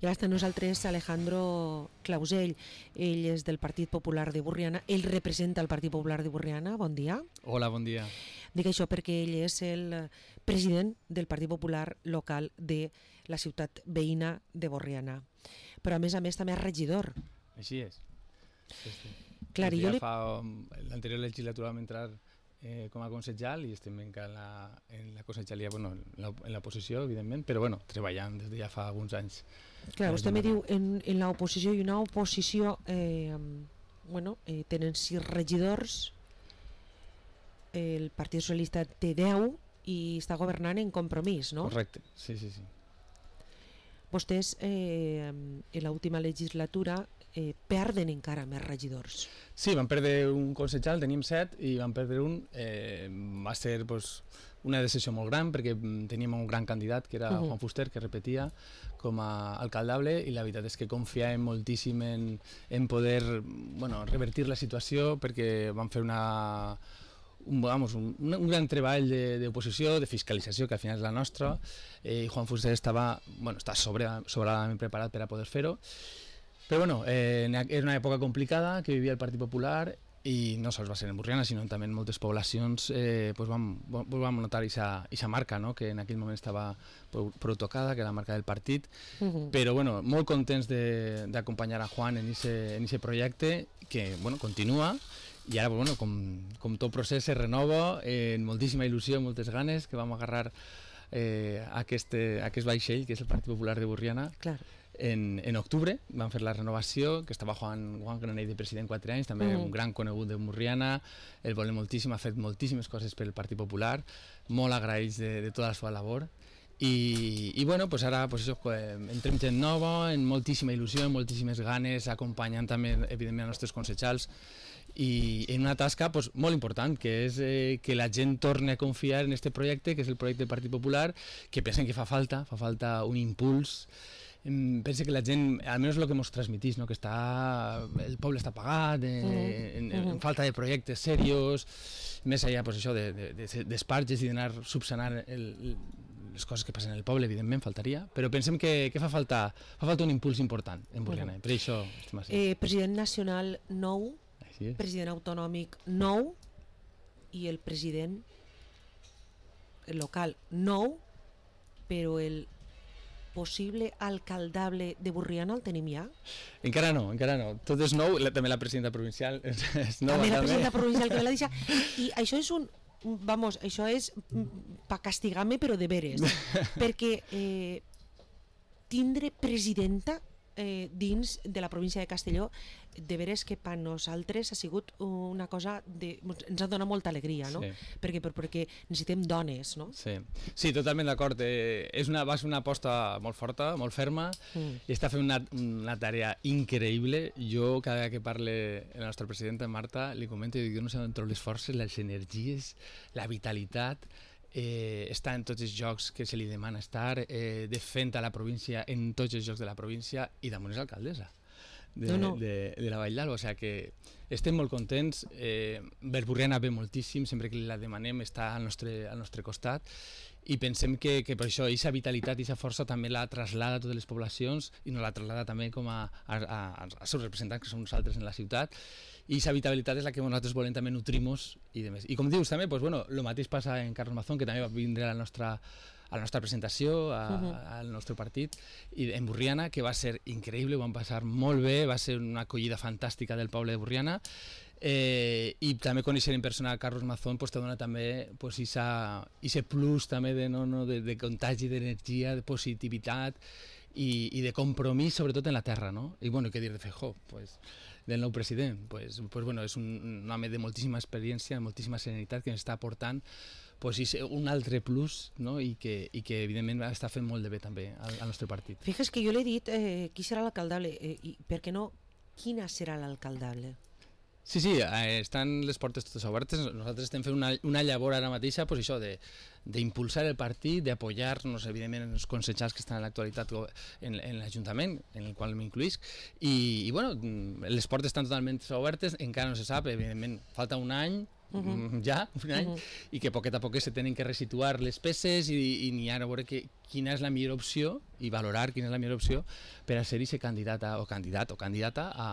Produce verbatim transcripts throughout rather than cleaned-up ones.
I ara està amb nosaltres Alejandro Clausell, ell és del Partit Popular de Borriana, ell representa el Partit Popular de Borriana, bon dia. Hola, bon dia. Dic això perquè ell és el president del Partit Popular local de la ciutat veïna de Borriana, però a més a més també és regidor. Així és. Sí, sí. Clar, ja jo li... fa l'anterior legislatura vam entrar eh, com a consellal i estem encara en la, en la conselleria, bueno, en la, en la posició, evidentment, però bueno, treballant des de ja fa alguns anys. Clar, vostè me diu en, en l'oposició i una oposició, eh, bueno, eh, tenen sis regidors, el Partit Socialista té deu i està governant en Compromís, no? Correcte, sí, sí, sí. Vostès eh, en l'última legislatura eh, perden encara més regidors. Sí, vam perdre un consellal, teníem set i vam perdre un. Eh, va ser pues, una decisió molt gran perquè teníem un gran candidat que era uh -huh. Juan Fuster, que repetia com a alcaldable, i la veritat és que confiàvem moltíssim en, en poder bueno, revertir la situació, perquè vam fer una... Un, vamos, un, un gran treball d'oposició, de, de fiscalització, que al final és la nostra, eh, i Juan Fuster estava, bueno, està sobre, sobradament preparat per a poder fer-ho, però bueno, eh, era una època complicada que vivia el Partit Popular, i no sols va ser en Borriana, sinó també en moltes poblacions eh, pues vam, vam notar aquesta marca, no? Que en aquell moment estava prou, prou tocada, que era la marca del partit, uh-huh. Però bueno, molt contents d'acompanyar a Juan en aquest projecte, que bueno, continua, i ara bueno, com, com tot procés se renova, eh, amb moltíssima il·lusió, moltes ganes, que vam agarrar eh, aquest, aquest vaixell, que és el Partit Popular de Borriana. Clar. En, en octubre vam fer la renovació, que estava Juan, Juan Granell de president quatre anys, també uh-huh. un gran conegut de Borriana, el volem moltíssim, ha fet moltíssimes coses per el Partit Popular, molt agraïts de, de tota la seva labor. I, i bueno, pues ara pues això, entrem gent nova, amb moltíssima il·lusió, amb moltíssimes ganes, acompanyant també evidentment els nostres consellals, i en una tasca pues, molt important, que és eh, que la gent torni a confiar en aquest projecte, que és el projecte del Partit Popular, que pensen que fa falta, fa falta un impuls. Pensa que la gent, almenys el que ens transmitís, no? Que està, el poble està pagat, eh, uh-huh. en, en, en falta de projectes serios, més allà pues, això d'esparges de, de, i d'anar subsanant el, les coses que passen en el poble, evidentment, faltaria, però pensem que, que fa, falta, fa falta un impuls important en Borriana, uh-huh. Per això estem així. Eh, president nacional nou, president autonòmic nou i el president local nou, però el possible alcaldable de Borriana el tenim ja? Encara no, encara no. Tot és nou, la, també la presidenta provincial és, és nova. També la presidenta també. provincial que me l'ha deixat. I això és un... Vamos, això és pa castigar-me, però de veres. Perquè eh, tindre presidenta eh, dins de la província de Castelló, de veres que per nosaltres ha sigut una cosa de, ens ha donat molta alegria, no? Sí. Perquè, perquè necessitem dones, no? Sí, sí, totalment d'acord. Eh, és una, va ser una aposta molt forta, molt ferma, mm. i està fent una, una tarea increïble. Jo, cada vegada que parle la nostra presidenta Marta, li comento i dic, jo no sé on trobo les forces, les energies, la vitalitat, eh, està en tots els jocs que se li demana estar, eh, defensa la província en tots els jocs de la província, i damunt és alcaldessa de, no, no. de, de la Vall d'Alba, o sigui que estem molt contents. eh, Borriana ve moltíssim, sempre que la demanem està al nostre, al nostre costat, i pensem que, que per això aquesta vitalitat i aquesta força també la traslada a totes les poblacions, i no la traslada també com a, a, a, als seus representants, que són nosaltres en la ciutat, i aquesta vitalitat és la que nosaltres volem també nutrir-nos i demés. I com dius també, pues, bueno, el mateix passa en Carlos Mazón, que també va vindre a la nostra, a la nostra presentació, a, uh-huh. al nostre partit, i en Borriana, que va ser increïble, ho vam passar molt bé, va ser una acollida fantàstica del poble de Borriana, eh, i també conèixer en persona a Carlos Mazón pues, te dona també pues, isa, ese plus també de, no, no, de, de contagi d'energia, de positivitat i, i de compromís, sobretot en la terra, no? I bueno, què dir de Feijóo? Pues, del nou president, pues, pues, bueno, és un, un home de moltíssima experiència, de moltíssima serenitat, que ens està aportant pues, un altre plus, no? I, que, i que evidentment està fent molt de bé també al, al nostre partit. Fixa't que jo l'he dit eh, qui serà l'alcaldable, eh, i per què no, quina serà l'alcaldable? Sí, sí, eh, estan les portes totes obertes. Nosaltres estem fent una, una llavor ara mateixa, pues això, d'impulsar el partit, d'apoyar-nos, evidentment, els consellers que estan en l'actualitat en, en l'Ajuntament, en el qual m'incluïsc, i, i bueno, les portes estan totalment obertes, encara no se sap, evidentment, falta un any uh -huh. ja, un any, uh -huh. i que poquet a poquet se tenen que resituar les peces i, i n'hi ha a veure que, quina és la millor opció i valorar quina és la millor opció per a ser-hi candidata o candidat o candidata a,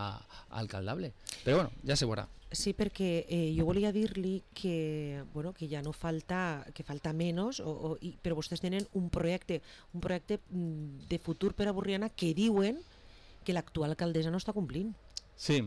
a alcaldable. Però bueno, ja se veurà. Sí, perquè eh, jo volia dir-li que, bueno, que ja no falta, que falta menys, o, o, i, però vostès tenen un projecte, un projecte de futur per a Borriana que diuen que l'actual alcaldessa no està complint. Sí,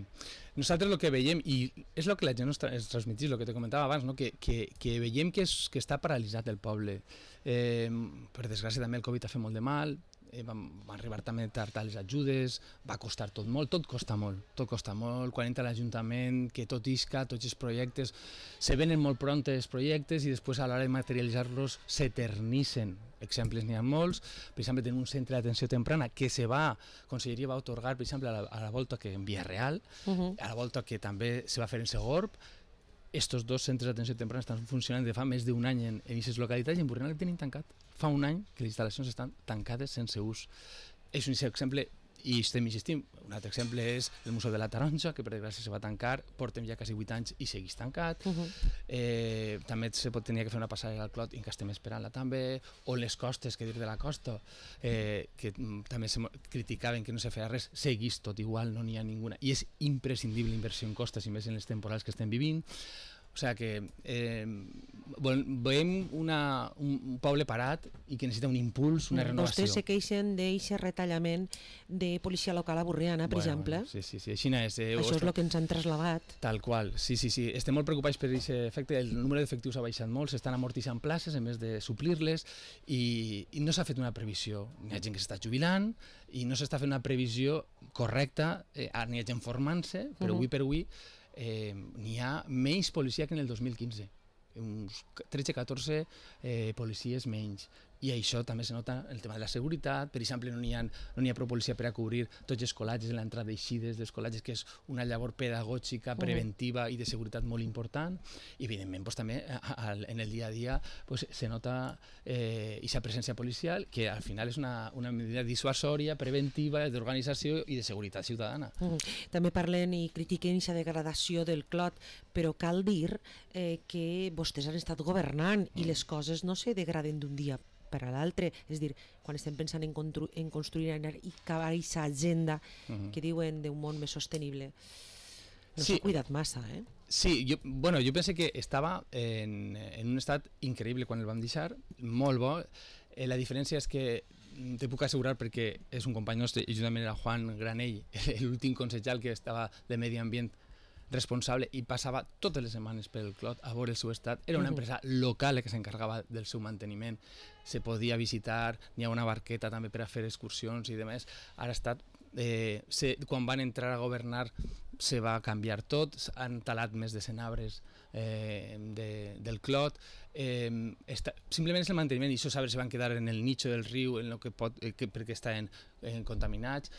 nosaltres el que veiem, i és el que la gent ens, tra ens transmetís, el que te comentava abans, no? que, que, que veiem que, és, que està paralitzat el poble. Eh, per desgràcia també el Covid ha fet molt de mal, eh, van, van arribar també tard a les ajudes, va costar tot molt, tot costa molt, tot costa molt, quan entra l'Ajuntament, que tot isca, tots els projectes, se venen molt pront els projectes i després a l'hora de materialitzar-los s'eternissen. Exemples n'hi ha molts, per exemple tenim un centre d'atenció temprana que se va, Conselleria va atorgar per exemple a la, a la volta que en Villarreal, uh -huh. a la volta que també se va fer en Segorb. Estos dos centres d'atenció temprana estan funcionant de fa més d'un any en aquestes localitats i en Borriana el tenim tancat. Fa un any que les instal·lacions estan tancades sense ús. És un exemple, i estem insistint, un altre exemple és el Museu de la Taronja, que per desgràcia se va tancar, portem ja quasi vuit anys i segueix tancat. Uh -huh. eh, també se pot tenir que fer una passarel·la al Clot i encara estem esperant-la també, o les costes, que dir de la costa, eh, que mm, també se criticaven que no se feia res, segueix tot igual, no n'hi ha ninguna, i és imprescindible inversió en costes, i més en les temporals que estem vivint. O sigui que eh, veiem una, un poble parat i que necessita un impuls, una renovació. Vostès se queixen d'aquest retallament de policia local a Borriana, per bueno, exemple. Bueno, sí, sí, sí, així és. Eh, Això és el que ens han trasladat. Tal qual, sí, sí, sí. Estem molt preocupats per aquest efecte. El número d'efectius ha baixat molt, s'estan amortitzant places en vez de suplir-les i, i no s'ha fet una previsió. N'hi ha gent que s'està jubilant i no s'està fent una previsió correcta, eh, n'hi ha gent formant-se, però uh -huh. avui per avui Eh, n'hi ha menys policia que en el dos mil quinze, uns tretze catorze eh, policies menys, i això també se nota el tema de la seguretat. Per exemple, no n'hi ha, no n'hi ha prou policia per a cobrir tots els col·latges en l'entrada i eixides dels col·latges, que és una llavor pedagògica, preventiva i de seguretat molt important, i evidentment pues, també a, a, en el dia a dia pues, se nota aquesta eh, presència policial, que al final és una, una medida dissuasòria, preventiva, d'organització i de seguretat ciutadana. Uh -huh. També parlen i critiquen aquesta degradació del Clot, però cal dir eh, que vostès han estat governant i les coses no se degraden d'un dia per a l'altre, és dir, quan estem pensant en, en construir i acabar aquesta agenda uh -huh. que diuen d'un món més sostenible, no s'ha sí. cuidat massa, eh? Sí, jo, bueno, jo penso que estava en, en un estat increïble quan el vam deixar, molt bo. Eh, la diferència és que te puc assegurar, perquè és un company nostre, i juntament era Juan Granell, l'últim consellal que estava de Medi Ambient responsable i passava totes les setmanes pel Clot a veure el seu estat. Era una empresa local que s'encarregava del seu manteniment, se podia visitar, n'hi ha una barqueta també per a fer excursions i demés. Ara ha estat, eh, se, quan van entrar a governar se va canviar tot, han talat més de cent arbres eh, de, del Clot, eh, està, simplement és el manteniment, i això sabes, se van quedar en el nicho del riu en lo que pot, eh, que, perquè estan eh, contaminats.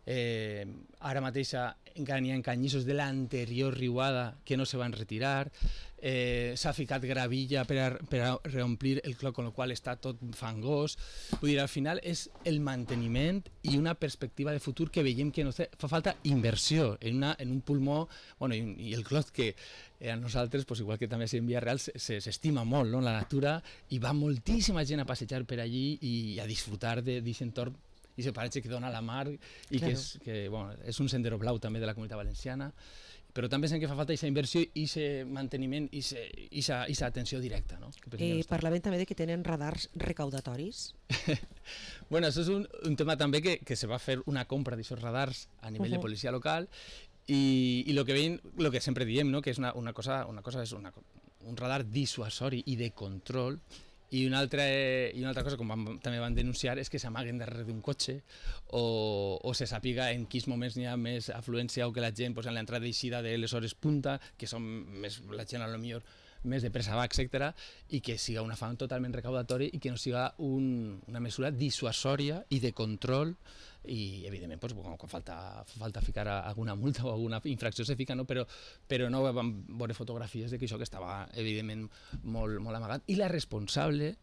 Eh, ara mateix encara n'hi ha canyissos de l'anterior riuada que no se van retirar, eh, s'ha ficat gravilla per a, per a reomplir el Clot, amb el qual està tot fangós. Vull dir, al final és el manteniment i una perspectiva de futur que veiem que no té, fa falta inversió en, una, en un pulmó, bueno, i, i el Clot que eh, a nosaltres, pues, igual que també en Villarreal, s'estima molt, no? La natura, i va moltíssima gent a passejar per allí i a disfrutar d'aquest entorn i se paratge que dona la mar i claro. que, és, que bueno, és un sendero blau també de la Comunitat Valenciana, però també pensem que fa falta aquesta inversió i aquest manteniment i aquesta atenció directa, no? Eh, parlaven també de que tenen radars recaudatoris. Bueno, això és un, un tema també que, que se va fer una compra d'aquests radars a nivell uh -huh. de policia local i, i lo que veiem, lo que sempre diem, no? Que és una, una cosa, una cosa és una, un radar dissuasori i de control. I una altra, i una altra cosa, com vam, també van denunciar, és que s'amaguen darrere d'un cotxe o, o se sàpiga en quins moments n'hi ha més afluència o que la gent pues, en l'entrada i eixida de les hores punta, que són més, la gent a lo millor més de pressa va, etcètera, i que siga un afany totalment recaudatori i que no siga un, una mesura dissuasòria i de control. I evidentment pues, quan falta, falta ficar alguna multa o alguna infracció se fica, no? però, però no vam veure fotografies de que això que estava evidentment molt, molt amagat, i la responsable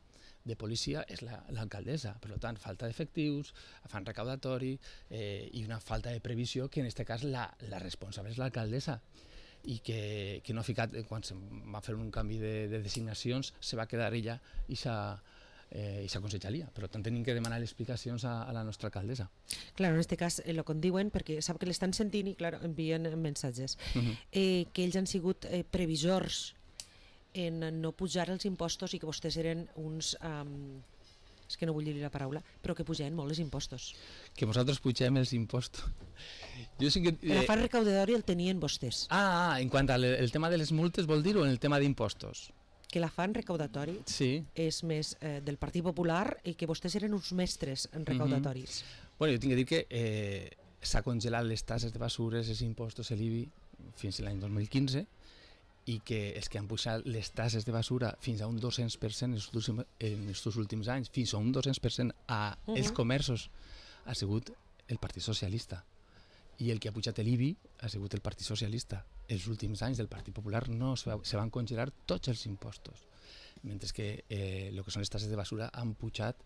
de policia és l'alcaldessa, la, per tant falta d'efectius, afany recaudatori eh, i una falta de previsió que en aquest cas la, la responsable és l'alcaldessa. i que, que no ha ficat, quan se va fer un canvi de, de designacions, se va quedar ella i s'ha eh, i s'ha conselleria. Per tant, tenim que demanar explicacions a, a la nostra alcaldessa. Claro, en este cas eh, lo que diuen, perquè sap que l'estan sentint i claro, envien missatges, uh -huh. eh, que ells han sigut eh, previsors en no pujar els impostos i que vostès eren uns... Um, és que no vull dir la paraula, però que pujaven molt els impostos. Que vosaltres pugem els impostos. Jo sí que... Eh... L'afany recaudatori el tenien vostès. Ah, ah, en quant al el tema de les multes vol dir o en el tema d'impostos? Que l'afany recaudatori sí. és més eh, del Partit Popular i que vostès eren uns mestres en recaudatoris. Mm-hmm. Bueno, jo tinc que dir que eh, s'ha congelat les tasses de basures, els impostos, l'I B I, fins a l'any dos mil quinze, i que els que han pujat les tasses de basura fins a un dos-cents per cent en els últims anys, fins a un dos-cents per cent a uh -huh. els comerços, ha sigut el Partit Socialista. I el que ha pujat l'I B I ha sigut el Partit Socialista. Els últims anys del Partit Popular no se, va, se van congelar tots els impostos, mentre que eh, el que són les tasses de basura han pujat,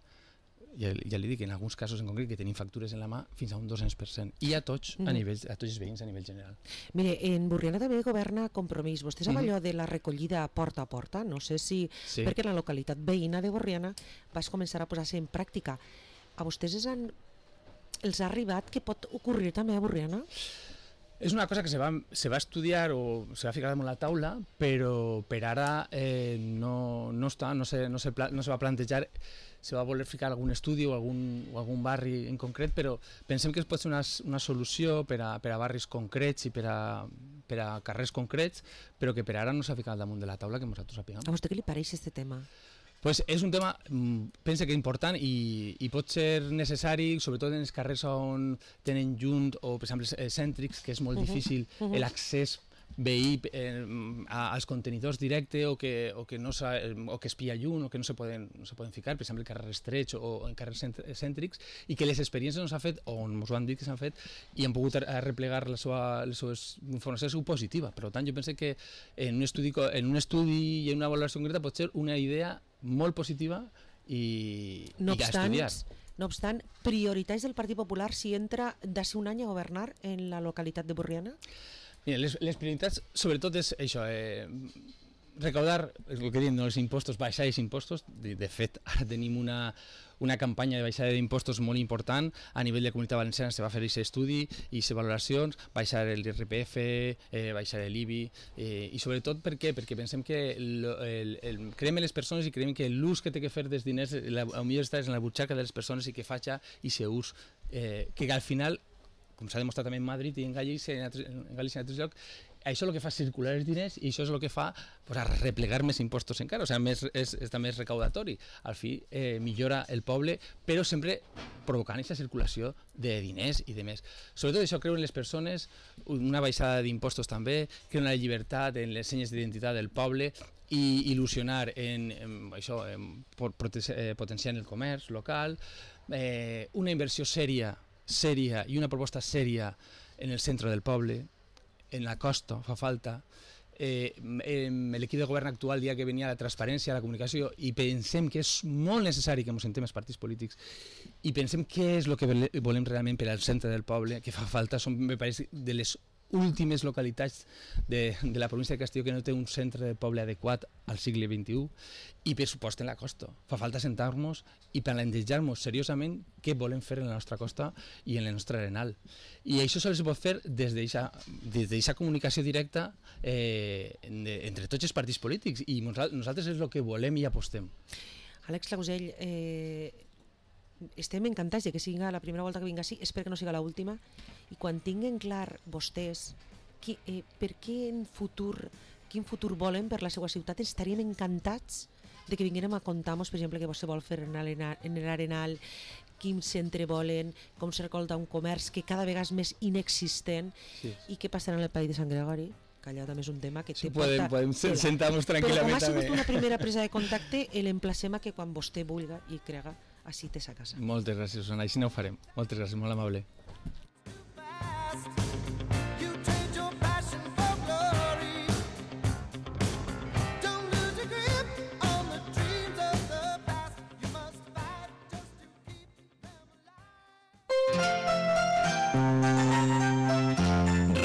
ja, ja li dic, en alguns casos en concret que tenim factures en la mà, fins a un dos-cents per cent, i a tots, mm. a, nivell, a tots els veïns a nivell general. Mire, en Borriana també governa Compromís. Vostè sap mm. allò de la recollida porta a porta? No sé si, sí. perquè en la localitat veïna de Borriana vas començar a posar-se en pràctica. A vostès han, els ha arribat que pot ocorrir també a Borriana? És una cosa que se va, se va estudiar o se va ficar damunt la taula, però per ara eh, no, no, està, no, se, no, se, no se va plantejar. Se va voler ficar algun estudi o algun, o algun barri en concret, però pensem que es pot ser una, una solució per a, per a barris concrets i per a, per a carrers concrets, però que per ara no s'ha ficat damunt de la taula que nosaltres sapiguem. A vostè què li pareix aquest tema? Pues és un tema, penso que important i, i pot ser necessari, sobretot en els carrers on tenen junt o, per exemple, cèntrics, que és molt uh -huh. difícil uh -huh. l'accés veí eh, als contenidors directe o que, o que, no o que espia llum o que no se poden, no se poden ficar, per exemple, en carrers estrets o en carrers cèntrics, i que les experiències no s'han fet, o ens ho han dit que s'han fet, i han pogut replegar la seva, les seves informacions positiva. Per tant, jo penso que en un estudi, en un estudi i en una valoració concreta pot ser una idea molt positiva i, no i obstant, a estudiar. No obstant, prioritats del Partit Popular si entra d'ací un any a governar en la localitat de Borriana? Mira, les, les prioritats, sobretot, és això, eh, recaudar, el que diem, no, els impostos, baixar els impostos. De, de fet, ara tenim una, una campanya de baixada d'impostos molt important. A nivell de Comunitat Valenciana se va fer aquest estudi i aquestes valoracions, baixar l'I R P F, eh, baixar l'I B I, eh, i sobretot per què? Perquè pensem que el, el, el, creiem en les persones i creiem que l'ús que té que fer dels diners, la, el millor està en la butxaca de les persones i que faci aquest ús, eh, que al final, com s'ha demostrat també en Madrid i en Galícia i en, en Galícia i en altres llocs, això és el que fa circular els diners i això és el que fa pues, a replegar més impostos encara, o sigui, més, és, és també és recaudatori. Al fi eh, millora el poble, però sempre provocant aquesta circulació de diners i de més. Sobretot això creu en les persones, una baixada d'impostos també, creu en la llibertat, en les senyes d'identitat del poble, i il·lusionar en, en això, en potenciar el comerç local, eh, una inversió sèria sèria i una proposta sèria en el centre del poble, en la costa, fa falta. Eh, l'equip de govern actual dia que venia la transparència, la comunicació, i pensem que és molt necessari que ens sentem els partits polítics i pensem què és el que volem realment per al centre del poble, que fa falta, són, me pareix, de les últimes localitats de, de la província de Castelló que no té un centre de poble adequat al segle vint-i-u, i per supost en la costa. Fa falta sentar-nos i plantejar-nos seriosament què volem fer en la nostra costa i en la nostra arenal. I això sols es pot fer des d'aquesta comunicació directa eh, entre tots els partits polítics, i nosaltres és el que volem i apostem. Àlex Clausell, eh, estem encantats de que sigui la primera volta que vinga així, espero que no sigui l'última, i quan tinguen clar vostès que, eh, per què en futur, quin futur volen per la seva ciutat, estaríem encantats de que vinguérem a contar-nos, per exemple, què vostè vol fer en l'Arenal, quin centre volen, com se recolza un comerç que cada vegada és més inexistent, sí. I què passarà en el País de Sant Gregori, que allò també és un tema que té sí, podem, porta... Podem sentar-nos tranquil·lament. Però com ha sigut també una primera presa de contacte, l'emplacem a que quan vostè vulga i crega, així té sa casa. Moltes gràcies, Susana, així no ho farem. Moltes gràcies, molt amable.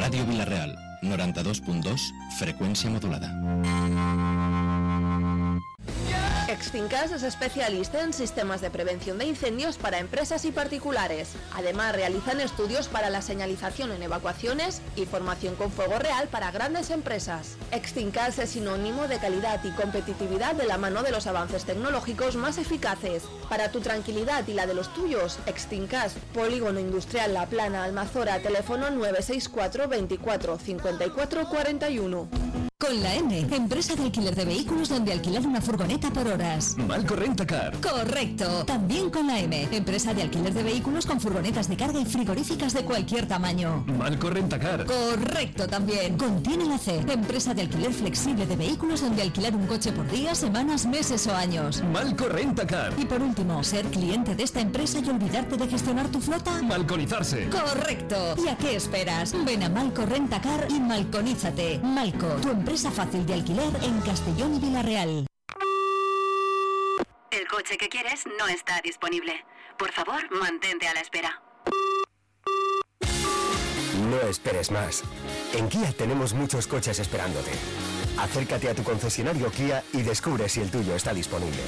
Ràdio Vila-real, noranta-dos punt dos, frecuencia modulada. Extincas es especialista en sistemas de prevención de incendios para empresas y particulares. Además, realizan estudios para la señalización en evacuaciones y formación con fuego real para grandes empresas. Extincas es sinónimo de calidad y competitividad de la mano de los avances tecnológicos más eficaces. Para tu tranquilidad y la de los tuyos, Extincas, Polígono Industrial La Plana, Almazora, teléfono nueve seis cuatro veinticuatro cincuenta y cuatro cuarenta y uno. Con la M, empresa de alquiler de vehículos donde alquilar una furgoneta por horas. Malco Rentacar. Correcto. También con la M, empresa de alquiler de vehículos con furgonetas de carga y frigoríficas de cualquier tamaño. Malco Rentacar. Correcto también. Contiene la C, empresa de alquiler flexible de vehículos donde alquilar un coche por días, semanas, meses o años. Malco Rentacar. Y por último, ser cliente de esta empresa y olvidarte de gestionar tu flota. Malconizarse. Correcto. ¿Y a qué esperas? Ven a Malco Rentacar y malconízate. Malco, tu empresa Empresa fácil de alquiler en Castellón y Villarreal. El coche que quieres no está disponible. Por favor, mantente a la espera. No esperes más. En Kia tenemos muchos coches esperándote. Acércate a tu concesionario Kia y descubre si el tuyo está disponible.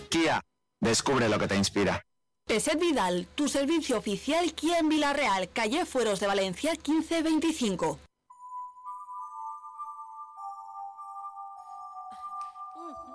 Kia, descubre lo que te inspira. Peset Vidal, tu servicio oficial Kia en Villarreal, calle Fueros de Valencia quince veinticinco.